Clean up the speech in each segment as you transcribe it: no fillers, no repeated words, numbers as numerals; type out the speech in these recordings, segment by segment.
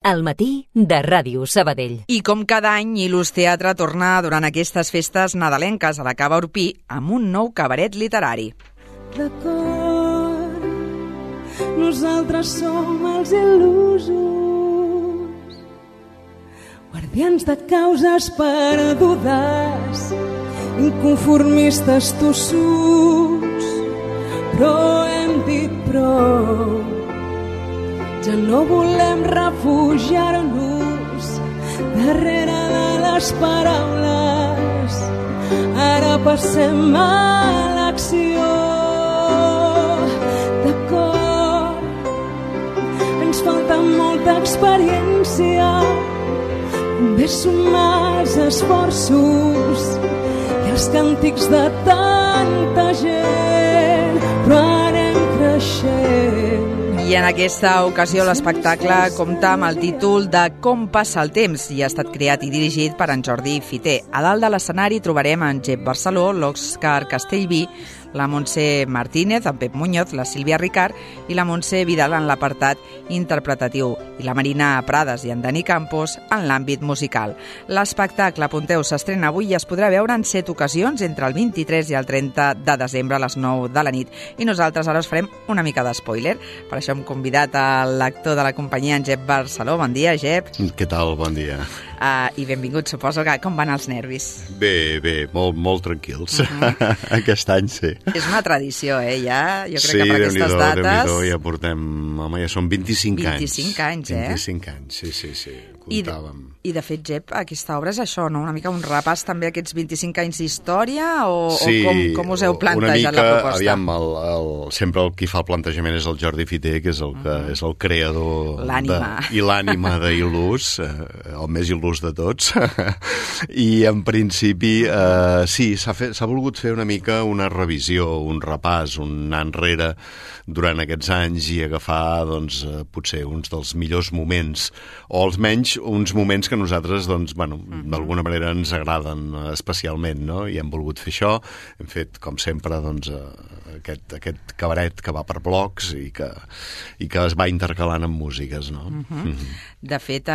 Al matí de Ràdio Sabadell. I com cada any, Il·lus Teatre torna durant aquestes festes nadalenques a la Cava Orpí amb un nou cabaret literari. D'acord, nosaltres som els il·lusos, guardians de causes perdudes, inconformistes tossuts, però hem dit prou. Ja no volem refugiar-nos darrere de les paraules. Ara passem a l'acció. D'acord, ens falta molta experiència. Només sumar els esforços i els càntics de tanta gent, però anem creixent. I en aquesta ocasió l'espectacle compta amb el títol de Com passa el temps i ha estat creat i dirigit per en Jordi Fiter. A dalt de l'escenari trobarem en Jep Barceló, l'Òscar Castellví, la Montse Martínez, en Pep Muñoz, la Sílvia Ricard i la Montse Vidal en l'apartat interpretatiu i la Marina Prades i en Dani Campos en l'àmbit musical. L'espectacle, apunteu, s'estrena avui i es podrà veure en 7 ocasions entre el 23 i el 30 de desembre a les 9 de la nit. I nosaltres ara us farem una mica d'espoiler. Per això hem convidat a l'actor de la companyia, en Jep Barceló. Bon dia, Jep. Què tal? Bon dia. I benvingut, suposo que com van els nervis? Bé, molt tranquils. Aquest any sí. És una tradició, ja? Jo crec que per aquestes dates... Déu-n'hi-do, ja portem... Home, ja són 25 anys. 25 anys, 25 anys, sí, comptàvem. I de fet, Jep, aquesta obra és això, no? Una mica un repàs també a aquests 25 anys d'història o com us heu plantejat la proposta? Aviam, sempre el qui fa el plantejament és el Jordi Fiter, que és el que és el creador i l'ànima d'Il·lus, el més il·lus de tots. I en principi, sí, s'ha volgut fer una mica una revisió, un repàs, un anar enrere durant aquests anys i agafar, doncs, potser uns dels millors moments, o almenys uns moments que a nosaltres, doncs, bueno, d'alguna manera ens agraden especialment, no? I hem volgut fer això, hem fet, com sempre, doncs, aquest cabaret que va per blocs i que es va intercalant amb músiques, no? De fet,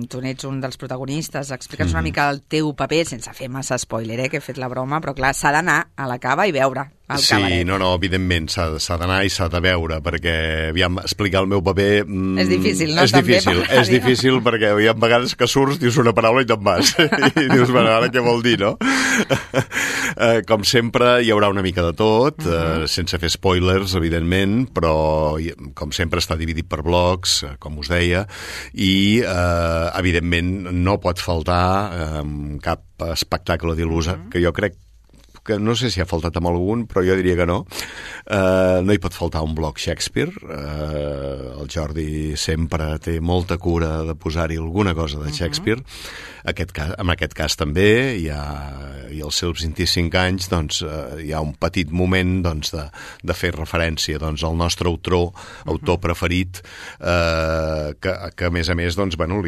tu n'ets un dels protagonistes. Explica'ns una mica el teu paper, sense fer massa spoiler, que he fet la broma, però clar, s'ha d'anar a la cava i veure el cabaret. Sí, no, evidentment, s'ha d'anar i s'ha de veure, perquè, aviam, explicar el meu paper... És difícil, no? És difícil perquè hi ha vegades que surts, dius una paraula i te'n vas. I dius, bueno, ara què vol dir, no? Com sempre, hi haurà una mica de tot, sense fer spoilers, evidentment, però, com sempre, està dividit per blocs, com us deia, i, evidentment, no pot faltar cap espectacle d'Il·lus, que jo crec que no sé si ha faltat amb algun, però jo diria que no. No hi pot faltar un bloc Shakespeare. El Jordi sempre té molta cura de posar-hi alguna cosa de Shakespeare. En aquest cas també, i als seus 25 anys, doncs, hi ha un petit moment, doncs, de fer referència, doncs, al nostre autor preferit, que a més, doncs, bueno,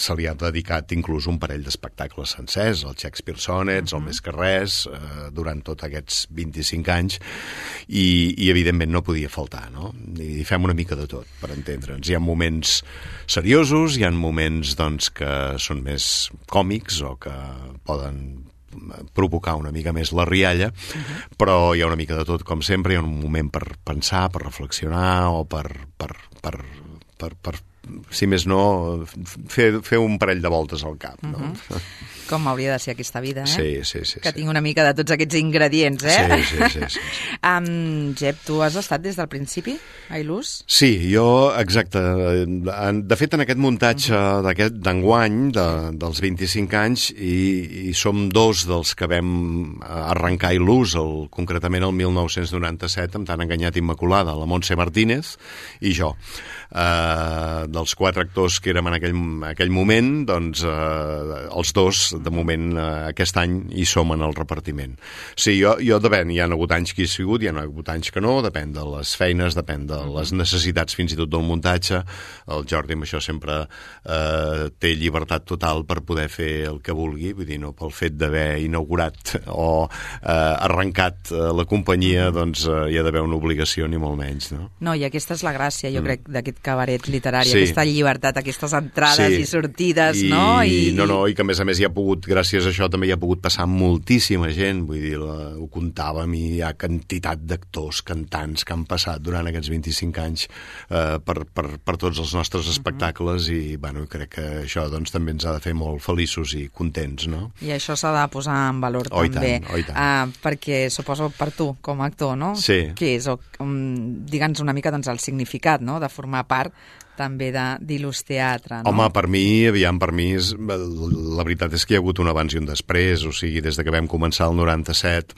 se li ha dedicat inclús un parell d'espectacles sencers, el Shakespeare Sonnets, el Més que res, durant tots aquests 25 anys, i evidentment no podia faltar, no? I fem una mica de tot, per entendre'ns. Hi ha moments seriosos, hi ha moments, doncs, que són més còmics o que poden provocar una mica més la rialla, però hi ha una mica de tot, com sempre. Hi ha un moment per pensar, per reflexionar o per si més no, fer un parell de voltes al cap, no? Com hauria de ser aquesta vida, Sí. Que tinc una mica de tots aquests ingredients, Sí. Jep, tu has estat des del principi a Il·lus? Sí, jo, exacte. De fet, en aquest muntatge d'enguany, dels 25 anys, i som dos dels que vam arrencar Il·lus, concretament el 1997, amb Tan enganyat immaculada, la Montse Martínez i jo. Dels 4 actors que érem en aquell moment, doncs els dos, de moment, aquest any hi som en el repartiment. Sí, jo depèn, hi ha hagut anys que hi he sigut, hi ha hagut anys que no, depèn de les feines, depèn de les necessitats fins i tot del muntatge. El Jordi amb això sempre té llibertat total per poder fer el que vulgui, vull dir, no pel fet d'haver inaugurat o arrencat la companyia, doncs hi ha d'haver una obligació, ni molt menys, no? No, i aquesta és la gràcia, jo crec, d'aquest cabaret literari, aquesta llibertat, aquestes entrades i sortides, no? I que a més hi ha pogut, gràcies a això també hi ha pogut passar moltíssima gent, vull dir, ho comptàvem i hi ha quantitat d'actors, cantants que han passat durant aquests 25 anys per tots els nostres espectacles i, bueno, crec que això doncs també ens ha de fer molt feliços i contents, no? I això s'ha de posar en valor també. I tant. Perquè suposo per tu, com a actor, no? Sí. Què és? Digue'ns una mica doncs, el significat, no?, de formar part també d'Il·lus Teatre, no? Home, per mi, la veritat és que hi ha hagut un abans i un després, o sigui, des de que vam començar el 97,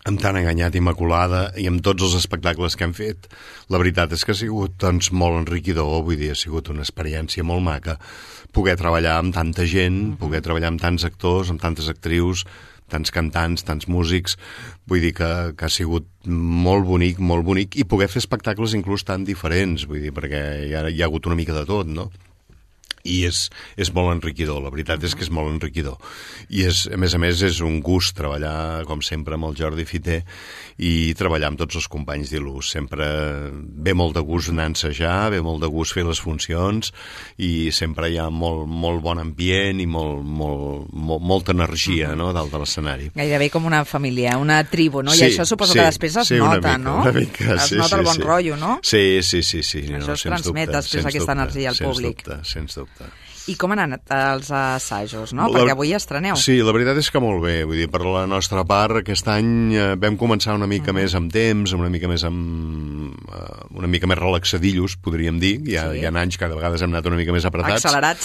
amb Tan enganyat, Immaculada, i amb tots els espectacles que hem fet, la veritat és que ha sigut doncs, molt enriquidor, vull dir, ha sigut una experiència molt maca poder treballar amb tanta gent, poder treballar amb tants actors, amb tantes actrius, tants cantants, tants músics, vull dir que ha sigut molt bonic, i poder fer espectacles inclús tan diferents, vull dir, perquè hi ha hagut una mica de tot, no? I és molt enriquidor, la veritat és que és molt enriquidor. I a més, és un gust treballar, com sempre, amb el Jordi Fiter i treballar amb tots els companys d'Il·lus. Sempre ve molt de gust anar a ensejar, ve molt de gust fer les funcions i sempre hi ha molt bon ambient i molta energia, no?, dalt de l'escenari. Gairebé com una família, una tribu, no? I això suposo que després es nota, no? Una mica, es nota el bon rotllo, no? Sí. Això es transmet després aquesta energia al públic. Sens dubte. I com han anat els assajos, no? Perquè avui estreneu. Sí, la veritat és que molt bé. Vull dir, per la nostra part, aquest any vam començar una mica més amb temps, una mica més relaxadillos, podríem dir. Hi ha anys que de vegades hem anat una mica més apretats. Accelerats.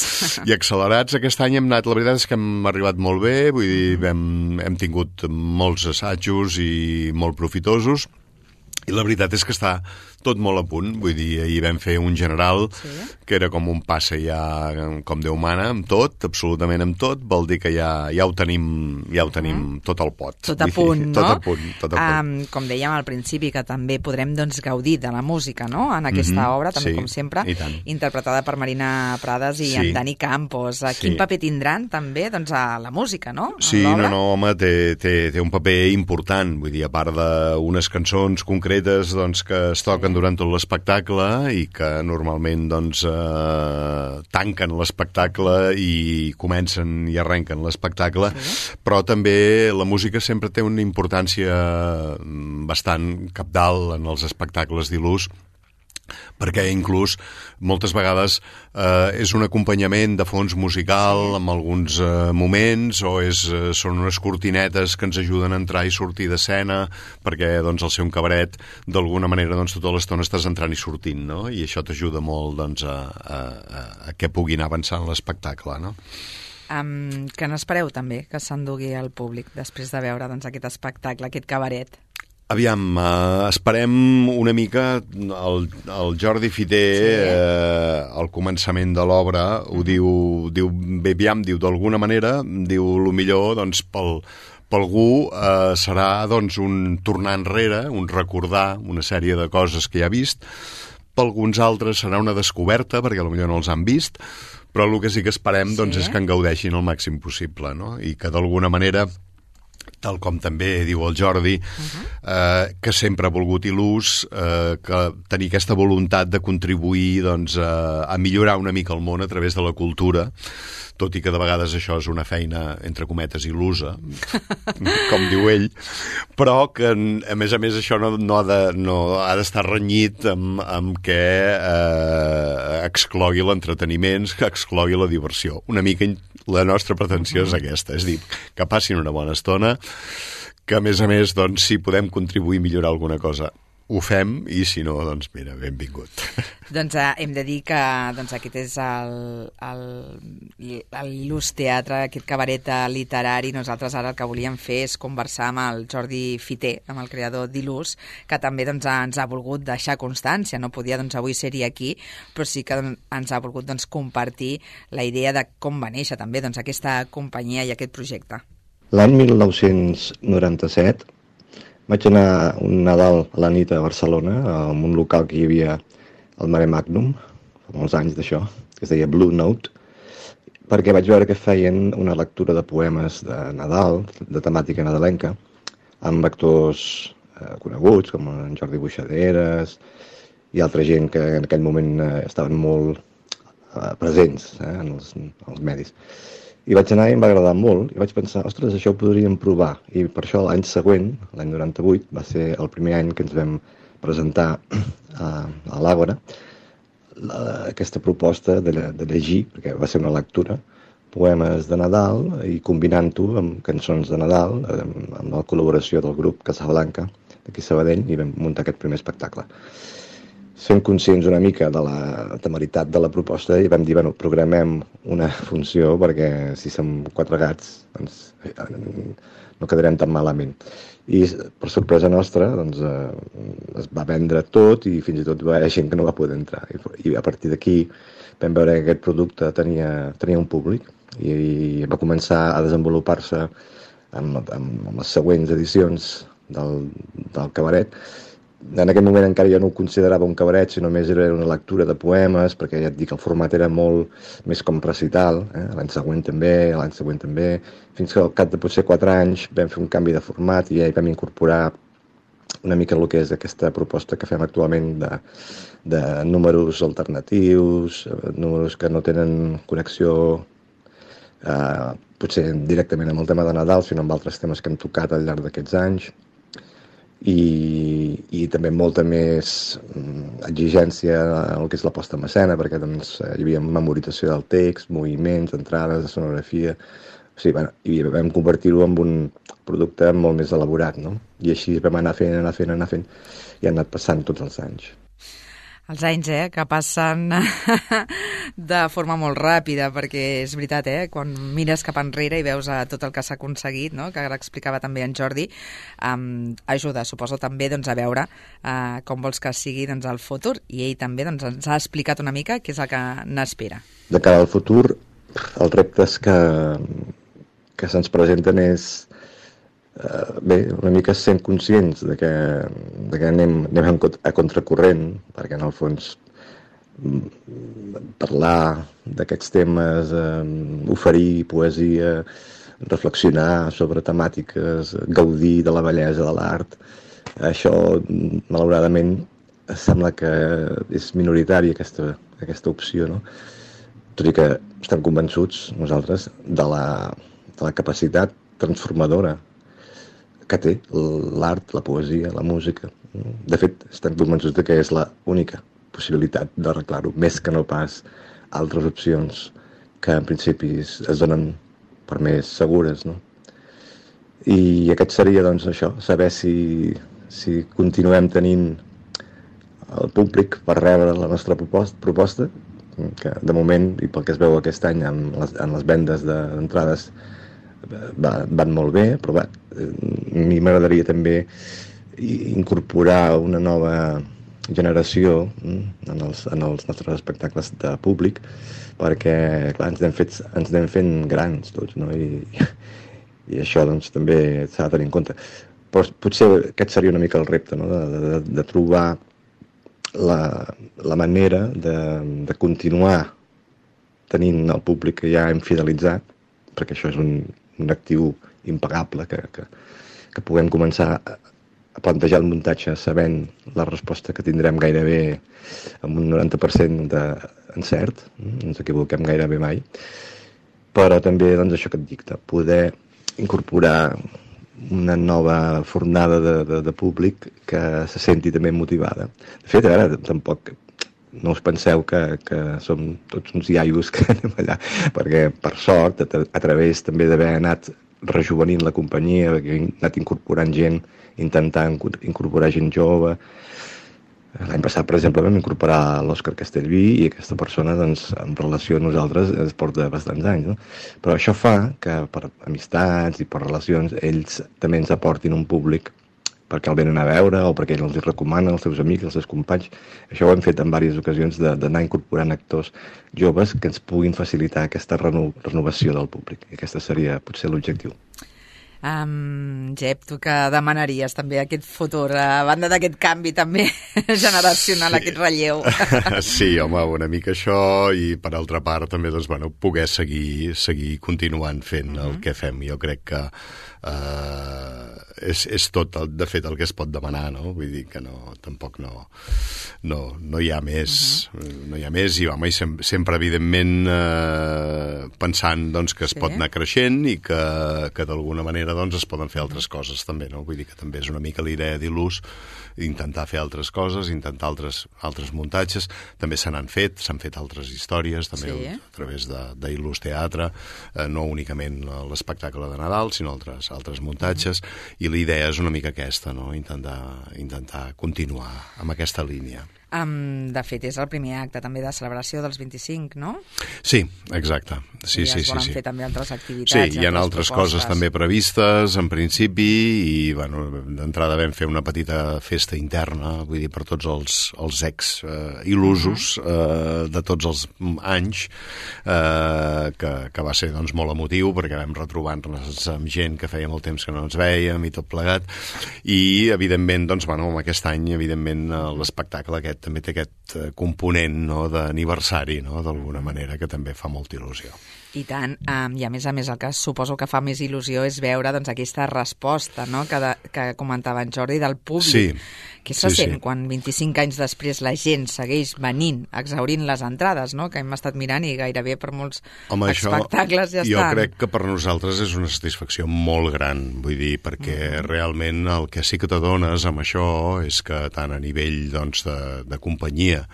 I accelerats. Aquest any hem anat, la veritat és que hem arribat molt bé, vull dir, hem tingut molts assajos i molt profitosos. I la veritat és que està tot molt a punt, vull dir, ahir vam fer un general que era com un passe ja com Déu mana, amb tot, absolutament amb tot, vol dir que ja ho tenim tot al pot. Tot a punt, no? Tot a punt. Com dèiem al principi, que també podrem doncs, gaudir de la música, no?, en aquesta obra, també com sempre, interpretada per Marina Prades i en Dani Campos. Quin paper tindran també doncs, a la música, no?, Sí, home, té un paper important, vull dir, a part d'unes cançons concretes doncs, que es toquen durant tot l'espectacle i que normalment doncs, tanquen l'espectacle i comencen i arrenquen l'espectacle, però també la música sempre té una importància bastant cabdal en els espectacles d'Il·lus, perquè inclús moltes vegades és un acompanyament de fons musical en alguns moments o són unes cortinetes que ens ajuden a entrar i sortir d'escena perquè doncs, al ser un cabaret d'alguna manera doncs, tota l'estona estàs entrant i sortint, no? I això t'ajuda molt doncs, a que puguin avançar en l'espectacle, no? Que n'espereu també que s'endugui al públic després de veure doncs, aquest espectacle, aquest cabaret? Aviam, esperem una mica el Jordi Fiter al començament de l'obra ho diu d'alguna manera, diu lo millor doncs, per algú serà doncs, un tornar enrere, un recordar una sèrie de coses que ja ha vist, per alguns altres serà una descoberta perquè potser no els han vist, però el que sí que esperem doncs, és que en gaudeixin el màxim possible, no? I que d'alguna manera, tal com també diu el Jordi, que sempre ha volgut Il·lus, que tenir aquesta voluntat de contribuir doncs, a millorar una mica el món a través de la cultura, tot i que de vegades això és una feina, entre cometes, il·lusa, com diu ell, però que, a més, això no ha d'estar renyit amb que exclogui l'entreteniment, que exclogui la diversió. Una mica la nostra pretensió és aquesta, és dir, que passin una bona estona, que a més, doncs, si podem contribuir a millorar alguna cosa, ho fem, i si no, doncs mira, benvingut. Doncs hem de dir que doncs, aquest és l'Il·lus Teatre, aquest cabaret literari. Nosaltres ara el que volíem fer és conversar amb el Jordi Fiter, amb el creador d'Il·lus, que també doncs, ens ha volgut deixar constància. No podia doncs, avui ser-hi aquí, però sí que ens ha volgut doncs, compartir la idea de com va néixer també doncs, aquesta companyia i aquest projecte. L'any 1997 vaig anar un Nadal a la nit a Barcelona, en un local que hi havia al Mare Magnum, fa molts anys d'això, que es deia Blue Note, perquè vaig veure que feien una lectura de poemes de Nadal, de temàtica nadalenca, amb actors coneguts, com en Jordi Buixaderes i altra gent que en aquell moment estaven molt presents en els medis. I vaig anar i em va agradar molt, i vaig pensar, ostres, això ho podríem provar. I per això l'any següent, l'any 98, va ser el primer any que ens vam presentar a l'Àgora aquesta proposta de llegir, perquè va ser una lectura, poemes de Nadal i combinant-ho amb cançons de Nadal, amb la col·laboració del grup Casablanca d'aquí a Sabadell, i vam muntar aquest primer espectacle. Sent conscients una mica de la temeritat de la proposta i vam dir, bueno, programem una funció perquè si som 4 gats doncs no quedarem tan malament. I per sorpresa nostra doncs, es va vendre tot i fins i tot va haver gent que no va poder entrar. I a partir d'aquí vam veure que aquest producte tenia un públic i va començar a desenvolupar-se amb les següents edicions del cabaret. En aquell moment encara jo no ho considerava un cabaret, sinó més era una lectura de poemes, perquè ja et dic, el format era molt més com recital, l'any següent també, fins que al cap de potser 4 anys vam fer un canvi de format i ja hi vam incorporar una mica el que és aquesta proposta que fem actualment de números alternatius, números que no tenen connexió potser directament amb el tema de Nadal, sinó amb altres temes que hem tocat al llarg d'aquests anys. I també molta més exigència en el que és la posta en escena, perquè doncs, hi havia memorització del text, moviments, entrades, de sonografia. O sigui, i vam convertir-ho en un producte molt més elaborat, no? I així vam anar fent, i han anat passant tots els anys. Els anys, que passen de forma molt ràpida, perquè és veritat, quan mires cap enrere i veus tot el que s'ha aconseguit, no? Que ara explicava també en Jordi, ajuda, suposo, també doncs, a veure com vols que sigui doncs, el futur. I ell també doncs, ens ha explicat una mica què és el que n'espera. De cara al futur, els reptes que se'ns presenten és una mica sent conscients de que anem a contracorrent, perquè en el fons parlar d'aquests temes, oferir poesia, reflexionar sobre temàtiques, gaudir de la bellesa de l'art, això malauradament sembla que és minoritari aquesta opció, no? Tot i que estem convençuts nosaltres de la capacitat transformadora que té l'art, la poesia, la música. De fet, estem convençuts que és l'única possibilitat d'arreglar-ho, més que no pas altres opcions que en principi es donen per més segures, no? I aquest seria, doncs, això, saber si continuem tenint el públic per rebre la nostra proposta, que de moment, i pel que es veu aquest any en les vendes d'entrades, van molt bé, però a mi m'agradaria també incorporar una nova generació en els nostres espectacles de públic, perquè clar, ens anem fent grans tots, no? I això doncs, també s'ha de tenir en compte. Però potser aquest seria una mica el repte, no? de trobar la manera de continuar tenint el públic que ja hem fidelitzat, perquè això és un actiu impagable, que puguem començar a plantejar el muntatge sabent la resposta que tindrem gairebé amb un 90% d'encert, no ens equivoquem gairebé mai, però també doncs, això que et dic, de poder incorporar una nova fornada de públic que se senti també motivada. De fet, ara tampoc no us penseu que som tots uns iaios que anem allà, perquè per sort, a través també d'haver anat rejuvenint la companyia, que hem anat incorporant gent, intentant incorporar gent jove. L'any passat, per exemple, vam incorporar l'Òscar Castellví i aquesta persona, doncs, en relació a nosaltres, es porta bastants anys, no? Però això fa que per amistats i per relacions ells també ens aportin un públic perquè el venen a veure o perquè ells els recomanen als seus amics, als seus companys. Això ho hem fet en diverses ocasions d'anar incorporant actors joves que ens puguin facilitar aquesta renovació del públic. I aquesta seria potser l'objectiu. Jep, tu què demanaries també aquest futur, a banda d'aquest canvi també generacional, aquest relleu? Sí, home, una mica això, i per altra part també doncs, bueno, poder seguir continuant fent el que fem. Jo crec que és tot, de fet, el que es pot demanar, no? Vull dir que tampoc no hi ha més, no hi ha més, i home, sempre evidentment pensant doncs, que es pot anar creixent i que d'alguna manera doncs, es poden fer altres coses també, no? Vull dir que també és una mica la idea d'Il·lus, intentar fer altres coses, intentar altres muntatges. També s'han fet altres històries també a través d'Il·lus Teatre, no únicament l'espectacle de Nadal, sinó altres muntatges, i la idea és una mica aquesta, no? Intentar continuar amb aquesta línia. De fet, és el primer acte també de celebració dels 25, no? Sí, exacte. Sí, I es volen fer també altres activitats. Sí, hi ha altres coses també previstes, en principi, i bueno, d'entrada vam fer una petita festa interna, vull dir, per tots els ex-il·lusos de tots els anys, que va ser doncs, molt emotiu, perquè vam retrobar-nos amb gent que feia molt temps que no ens vèiem i tot plegat, i evidentment, doncs, bueno, aquest any, evidentment, l'espectacle aquest també té aquest component, no, d'aniversari, no, d'alguna manera, que també fa molta il·lusió. I tant, i a més, el que suposo que fa més il·lusió és veure doncs, aquesta resposta, no?, que comentava en Jordi, del públic. Què se sent quan 25 anys després la gent segueix venint, exhaurint les entrades, no?, que hem estat mirant i gairebé per molts espectacles ja estan. Jo crec que per nosaltres és una satisfacció molt gran, vull dir, perquè realment el que sí que t'adones amb això és que tant a nivell doncs, de companyia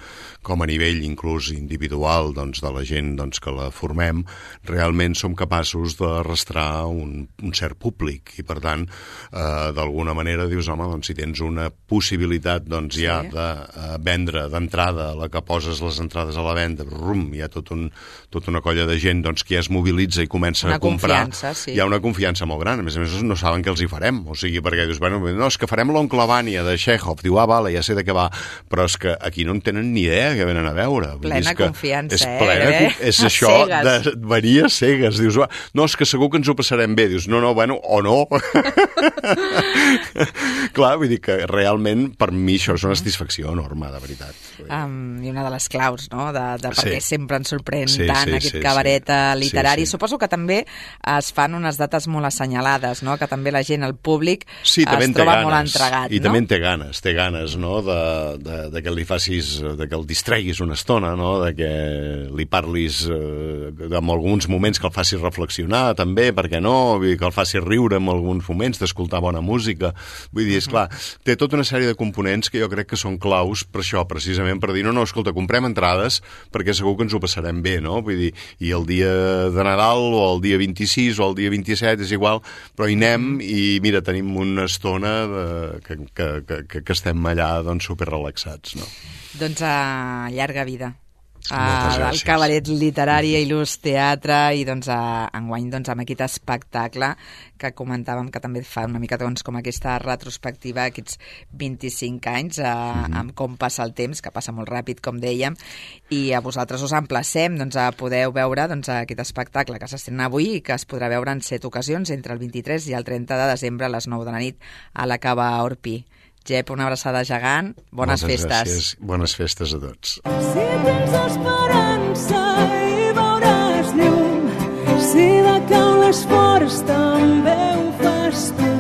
com a nivell inclús individual doncs, de la gent doncs, que la formem, realment som capaços d'arrastrar un cert públic, i per tant d'alguna manera dius, home, doncs si tens una possibilitat doncs ja de vendre d'entrada, la que poses les entrades a la venda, hi ha tota una colla de gent doncs, que ja es mobilitza i comença a comprar, hi ha una confiança molt gran. A més no saben què els hi farem, o sigui, perquè dius, bueno, no, és que farem l'Oncle Vanya de Chekhov, diu, vale, ja sé de què va, però és que aquí no en tenen ni idea que venen a veure. Plena confiança, és això de venir a cegues, dius, no, és que segur que ens ho passarem bé, dius, no, bueno, o no. Clar, vull dir que realment per mi això és una satisfacció enorme, de veritat. I una de les claus, no?, de per què sempre ens sorprèn tant aquest cabaret literari. Suposo que també es fan unes dates molt assenyalades, no?, que també la gent, el públic, es troba molt entregat, no? I també en té ganes, no?, de que li facis, de que el distreguis una estona, no?, de que li parlis en alguns moments, que el facis reflexionar també, perquè no, que el facis riure en alguns moments, d'escoltar bona música. Vull dir, esclar, té tota una sèrie de components que jo crec que són claus per això, precisament per dir, no, escolta, comprem entrades perquè segur que ens ho passarem bé, no? Vull dir, i el dia de Nadal o el dia 26 o el dia 27 és igual, però hi anem i mira, tenim una estona que estem allà doncs superrelaxats, no? Doncs llarga vida al cabaret literari Il·lus Teatre, i doncs enguany doncs, amb aquest espectacle que comentàvem que també fa una mica doncs, com aquesta retrospectiva, aquests 25 anys amb com passa el temps, que passa molt ràpid, com dèiem, i a vosaltres us emplacem doncs, a poder veure doncs, aquest espectacle que s'estrena avui i que es podrà veure en 7 ocasions entre el 23 i el 30 de desembre a les 9 de la nit a la Cava Orpi. Jep, una abraçada gegant. Bones festes. Gràcies. Bones festes a tots. Si tens esperança i veuràs llum, si de cau l'esforç també ho fas tu.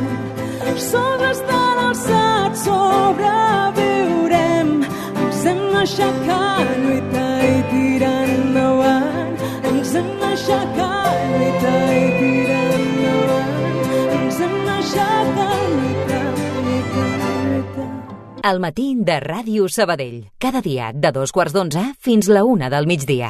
Sols estan alçats, sobreviurem. Ens hem d'aixecar, lluitar i tirar endavant. Ens hem d'aixecar, lluitar i tirar endavant. Ens hem d'aixecar, lluitar. Al matí de Ràdio Sabadell. Cada dia de 2:45 fins la 1 del migdia.